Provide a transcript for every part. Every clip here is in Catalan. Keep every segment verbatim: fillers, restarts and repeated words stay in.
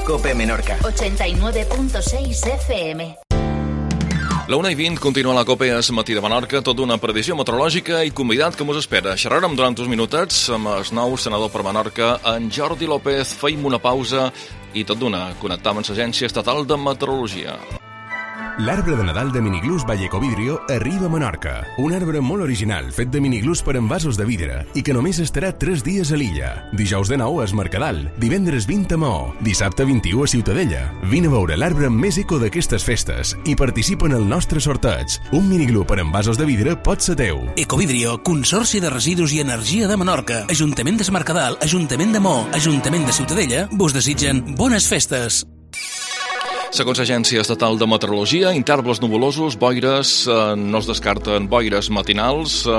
COPE Menorca. ochenta y nueve punto seis F M. La una i vint continua la COPE es matí de Menorca, tota una previsió meteorològica i convidat que mos espera. Xerrarem durant uns minutets amb el nou senador per Menorca, en Jordi López. Feim una pausa i tot d'una connectam amb l'Agència Estatal de Meteorologia. L'arbre de Nadal de Miniglús Vallecovidrio arriba a Menorca. Un arbre molt original, fet de miniglús per envasos de vidre i que només estarà tres dies a l'illa. Dijous de nou a Es Mercadal, divendres vint a Maó, dissabte vint-i-u a Ciutadella. Vine a veure l'arbre més eco d'aquestes festes i participa en el nostre sorteig. Un miniglú per envasos de vidre pot ser teu. Ecovidrio, Consorci de Residus i Energia de Menorca, Ajuntament de Es Mercadal, Ajuntament de Maó, Ajuntament de Ciutadella, vos desitgen bones festes. Segons l'Agència Estatal de Meteorologia, intervals nuvolosos, boires, eh, no es descarten boires matinals eh,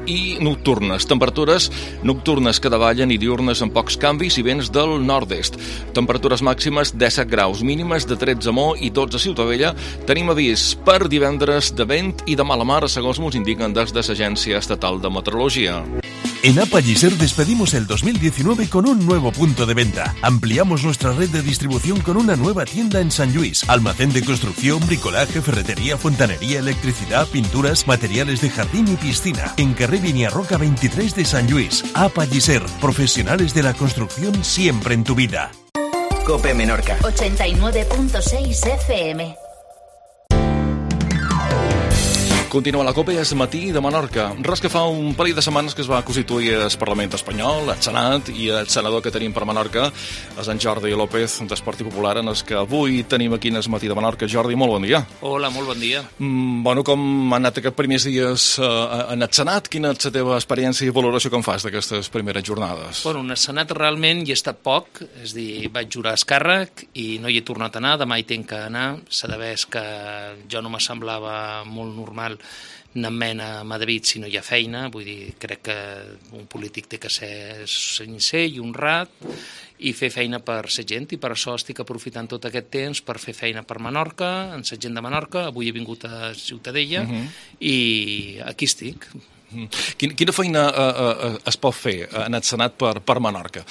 i nocturnes. Temperatures nocturnes que davallen i diurnes amb pocs canvis i vents del nord-est. Temperatures màximes disset graus, mínimes de tretze a Maó i dotze a Ciutadella. Tenim avís per divendres de vent i de mala mar, segons ens indiquen des de l'Agència Estatal de Meteorologia. En Apalliser despedimos el dos mil diecinueve con un nuevo punto de venta. Ampliamos nuestra red de distribución con una nueva tienda en San Luis. Almacén de construcción, bricolaje, ferretería, fontanería, electricidad, pinturas, materiales de jardín y piscina. En carrer Viñarroca veintitrés de San Luis. Apalliser, profesionales de la construcción siempre en tu vida. COPE Menorca. ochenta y nueve punto seis F M. Continua la COPE es matí de Menorca. Res que fa un parell de setmanes que es va constituir el Parlament espanyol, el Senat, i el senador que tenim per Menorca és en Jordi López, del Partit Popular, en el que avui tenim aquí en el matí de Menorca. Jordi, molt bon dia. Hola, molt bon dia. Mm, bueno, com han anat aquests primers dies eh, en el Senat? Quina és la teva experiència i valoració que en fas d'aquestes primeres jornades? Bueno, en el Senat realment hi he estat poc, és a dir, vaig jurar el càrrec i no hi he tornat a anar, demà hi tenc que anar. S'ha de veure que jo no me semblava molt normal anant a Madrid si no hi ha feina, vull dir, crec que un polític té que ser sincer i honrat i fer feina per la gent, i per això estic aprofitant tot aquest temps per fer feina per Menorca, en la gent de Menorca. Avui he vingut a Ciutadella uh-huh. i aquí estic. Uh-huh. Quina, quina feina uh, uh, es pot fer en el Senat per, per Menorca?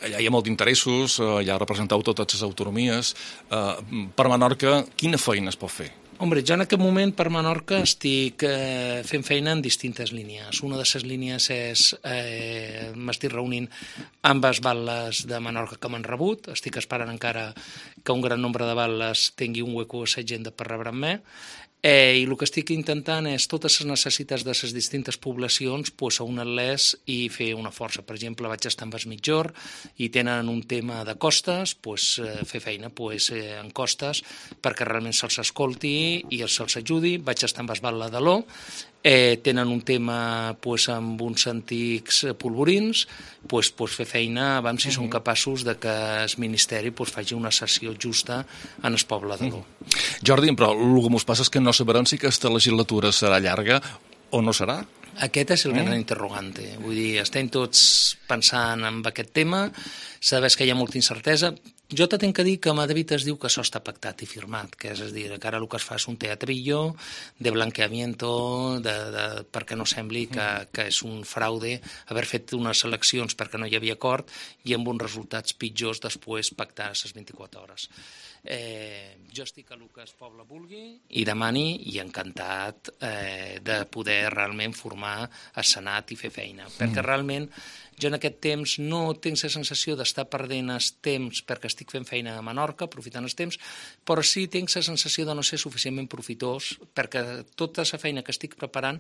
Allà hi ha molt d'interessos, uh, ja representeu totes les autonomies. Uh, per Menorca, quina feina es pot fer? Hombre, jo en aquest moment per Menorca estic eh, fent feina en distintes línies. Una de les línies és, eh, m'estic reunint amb les batlles de Menorca que m'han rebut. Estic esperant encara que un gran nombre de batlles tingui un hueco a l'agenda per rebre amb mi. Eh, I el que estic intentant és totes les necessitats de les distintes poblacions pues, unir-les i fer una força. Per exemple, vaig estar amb el Mitjor i tenen un tema de costes, pues, eh, fer feina pues, eh, en costes perquè realment se'ls escolti i se'ls ajudi. Vaig estar amb el Batlle de l'O, eh, tenen un tema pues, amb uns antics polvorins, pues, pues, fer feina, vam si uh-huh. són capaços de que el Ministeri pues, faci una sessió justa en el poble de l'O. Uh-huh. Jordi, però el que ens passa és que no sabrem si aquesta legislatura serà llarga o no serà. Aquest és el gran mm. interrogante. Vull dir, estem tots pensant en aquest tema, sabes que hi ha molta incertesa. Jo te tinc que dir que a Madrid es diu que això està pactat i firmat, que és a dir, que ara el que es fa és un teatrillo de blanqueamiento, de, de, perquè no sembli que, que és un fraude haver fet unes eleccions perquè no hi havia acord i amb uns resultats pitjors després pactar a les vint-i-quatre hores. Eh, jo estic a el que el poble vulgui i demani, i encantat eh, de poder realment formar el Senat i fer feina, mm. perquè realment jo en aquest temps no tinc la sensació d'estar perdent el temps perquè estic fent feina a Menorca, aprofitant el temps, però sí tinc la sensació de no ser suficientment profitós perquè tota la feina que estic preparant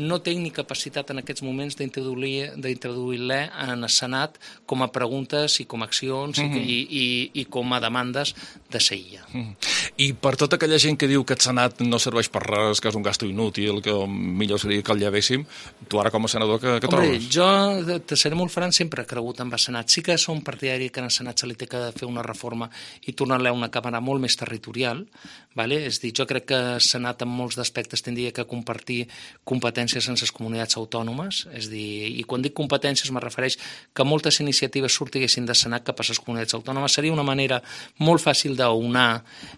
no tinc ni capacitat en aquests moments d'introduir-la en el Senat com a preguntes i com a accions mm-hmm. i, i, i com a demandes de la illa. Mm-hmm. I per tota aquella gent que diu que el Senat no serveix per res, que és un gasto inútil, que millor seria que el llevéssim, tu ara com a senador que, que Hombre, trobes? Jo te seré molt franc, sempre he cregut en el Senat. Sí que som partidari que en el Senat se li té que fer una reforma i tornar-la a una càmera molt més territorial, vale? És dir, jo crec que el Senat en molts aspectes tindria que compartir competències amb les comunitats autònomes, és dir, i quan dic competències me refereix que moltes iniciatives sortiguessin del Senat cap a les comunitats autònomes. Seria una manera molt fàcil d'unar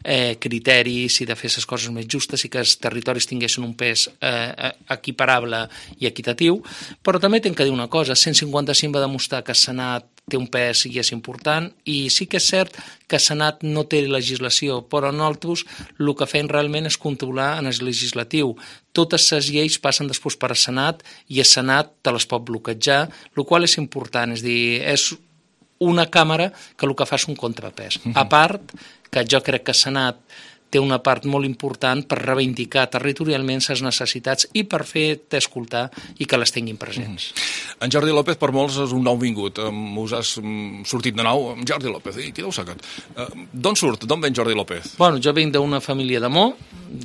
eh, criteris i de fer les coses més justes i que els territoris tinguessin un pes eh, equiparable i equitatiu, però també tinc que dir una cosa, cent cinquanta-cinc va demostrar que el Senat té un pes i és important, i sí que és cert que el Senat no té legislació, però nosaltres el que fem realment és controlar en el legislatiu. Totes les lleis passen després per al Senat i el Senat te les pot bloquejar, el qual és important, és dir, és una càmera que el que fa és un contrapès. A part, que jo crec que el Senat té una part molt important per reivindicar territorialment les necessitats i per fer-te escoltar i que les tinguin presents. En Jordi López per molts és un nou vingut. Us has sortit de nou. Jordi López, i qui deu ser aquest? D'on surt? D'on ven Jordi López? Bueno, jo vinc d'una família d'amor,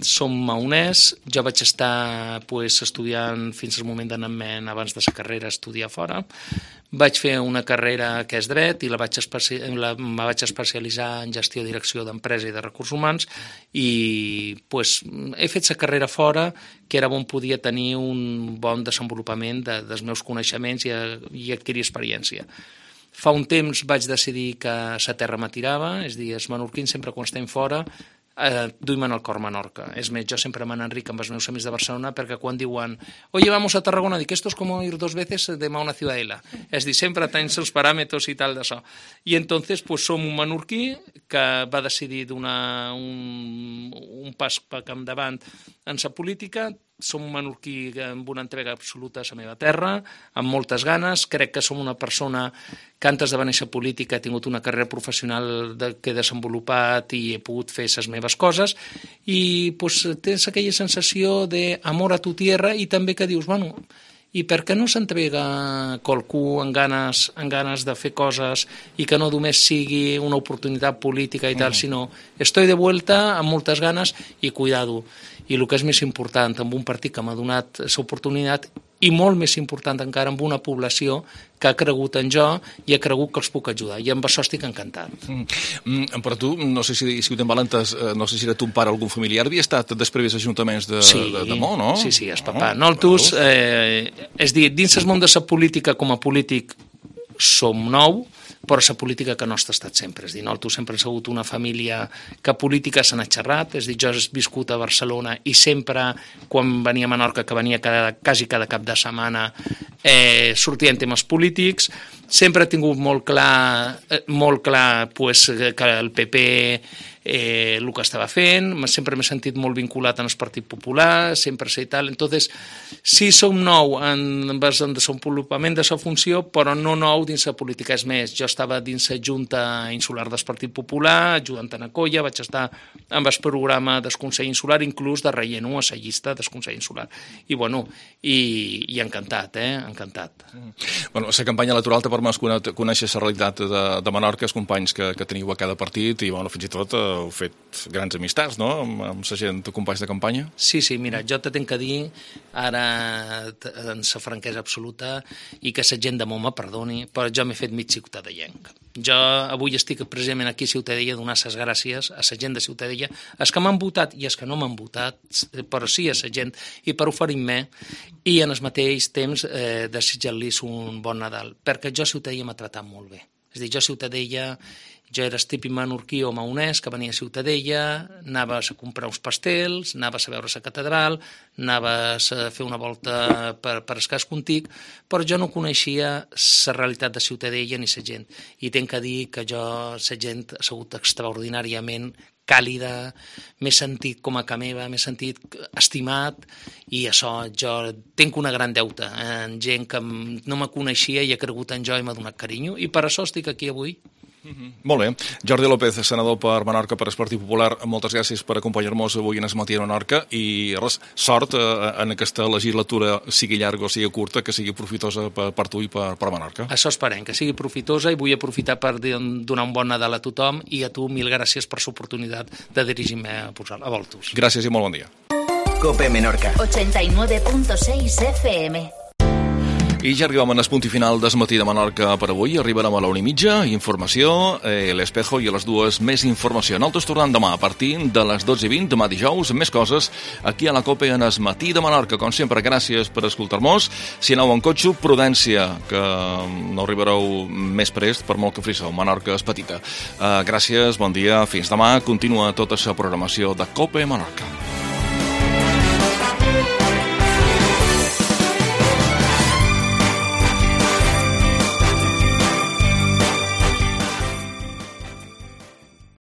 som maonès, jo vaig estar pues, estudiant fins al moment d'anar-me'n abans de la carrera a estudiar fora. Vaig fer una carrera que és dret i la vaig especi... la... me vaig especialitzar en gestió i direcció d'empresa i de recursos humans i pues, he fet la carrera fora, que era on podia tenir un bon desenvolupament de, dels meus coneixements i, i adquirir experiència. Fa un temps vaig decidir que la terra m'atirava, és a dir, els menorquins sempre quan estem fora eh, duim al cor Menorca. És més, jo sempre me n'enric amb els meus amics de Barcelona perquè quan diuen oye, vamos a Tarragona, dic, esto es como ir dos veces de una ciudadela. És dir, sempre tens els paràmetres i tal d'això. I entonces, pues, som un menorquí que va decidir donar un, un pas cap endavant en la política. Som un menorquí amb una entrega absoluta a la meva terra, amb moltes ganes. Crec que som una persona que antes de venir a política he tingut una carrera professional de, que he desenvolupat i he pogut fer les meves coses i pues, tens aquella sensació d'amor a tu tierra i també que dius, bueno, i per què no s'entrega qualcú amb ganes, amb ganes de fer coses i que no només sigui una oportunitat política i tal, mm. sinó estoy de vuelta amb moltes ganes i cuidado. I el que és més important, amb un partit que m'ha donat l'oportunitat i molt més important encara amb una població que ha cregut en jo i ha cregut que els puc ajudar. I amb això estic encantat. Mm. Però tu, no sé si, si ho tens valentes, no sé si era ton pare o algun familiar, havia estat després ajuntaments de, sí, de, de Mó, no? Sí, sí, és papà. Oh, nosaltres, eh, és dir, dins el món de la política com a polític som nou, però la política que nostra ha estat sempre. És dir, nosaltres sempre hem sigut una família que política se n'ha xerrat, és dir, jo he viscut a Barcelona i sempre, quan venia a Menorca, que venia cada, quasi cada cap de setmana, eh, sortien temes polítics. Sempre he tingut molt clar, eh, molt clar pues, que el P P eh, el que estava fent, sempre m'he sentit molt vinculat en el Partit Popular, sempre sé i tal. Entonces, sí som nou en el desenvolupament de la funció, però no nou dins la política. És més, jo estava dins la Junta Insular del Partit Popular, ajudant a Colla, vaig estar amb el programa del Consell Insular, inclús de reient a la llista del Consell Insular. I, bueno, i, i encantat, eh? Encantat. Bueno, la campanya electoral t'ha permès conèixer la realitat de, de Menorca, els companys que, que teniu a cada partit, i, bueno, fins i tot heu fet grans amistats, no?, amb, amb la gent, companys de campanya. Sí, sí, mira, jo te tenc que dir, ara, en la franquesa absoluta, i que la gent de Mó me perdoni, però jo m'he fet mig ciutadellenc. Jo avui estic precisament aquí a Ciutadella a donar les gràcies a la gent de Ciutadella, els que m'han votat i els que no m'han votat, però sí a la gent, i per oferir-me, i en el mateix temps eh, desitjar-los un bon Nadal, perquè jo a Ciutadella m'ha tratat molt bé. És a dir, jo a Ciutadella, jo era el típic menorquí o maonès que venia a Ciutadella, anaves a comprar uns pastels, anaves a veure la catedral, anaves a fer una volta per, per escàs contic, però jo no coneixia la realitat de Ciutadella ni la gent. I tenc que dir que jo, la gent, ha sigut extraordinàriament càlida, m'he sentit com a ca meva, m'he sentit estimat, i això, jo tinc una gran deuta en gent que no me coneixia i ha cregut en jo i m'ha donat carinyo, i per això estic aquí avui. Mm-hmm. Molt bé. Jordi López, senador per Menorca, per el Partit Popular, moltes gràcies per acompanyar-nos avui en el matí a Menorca, i res, sort eh, en aquesta legislatura, sigui llarga o sigui curta, que sigui profitosa per, per tu i per, per Menorca. Això esperem, que sigui profitosa, i vull aprofitar per donar un bon Nadal a tothom, i a tu mil gràcies per l'oportunitat de dirigir-me a, a Voltus. Gràcies i molt bon dia. COPE Menorca ochenta y nueve punto seis F M. I ja arribem al punt i final del matí de Menorca per avui. Arribarem a la una i mitja, informació, eh, l'Espejo, i a les dues més informació. Nosaltres tornem demà a partir de les dotze i vint, demà dijous, més coses aquí a la COPE en el matí de Menorca. Com sempre, gràcies per escoltar-nos. Si aneu en cotxe, prudència, que no arribareu més prest per molt que friseu. Menorca és petita. Eh, gràcies, bon dia, fins demà. Continua tota la programació de COPE Menorca.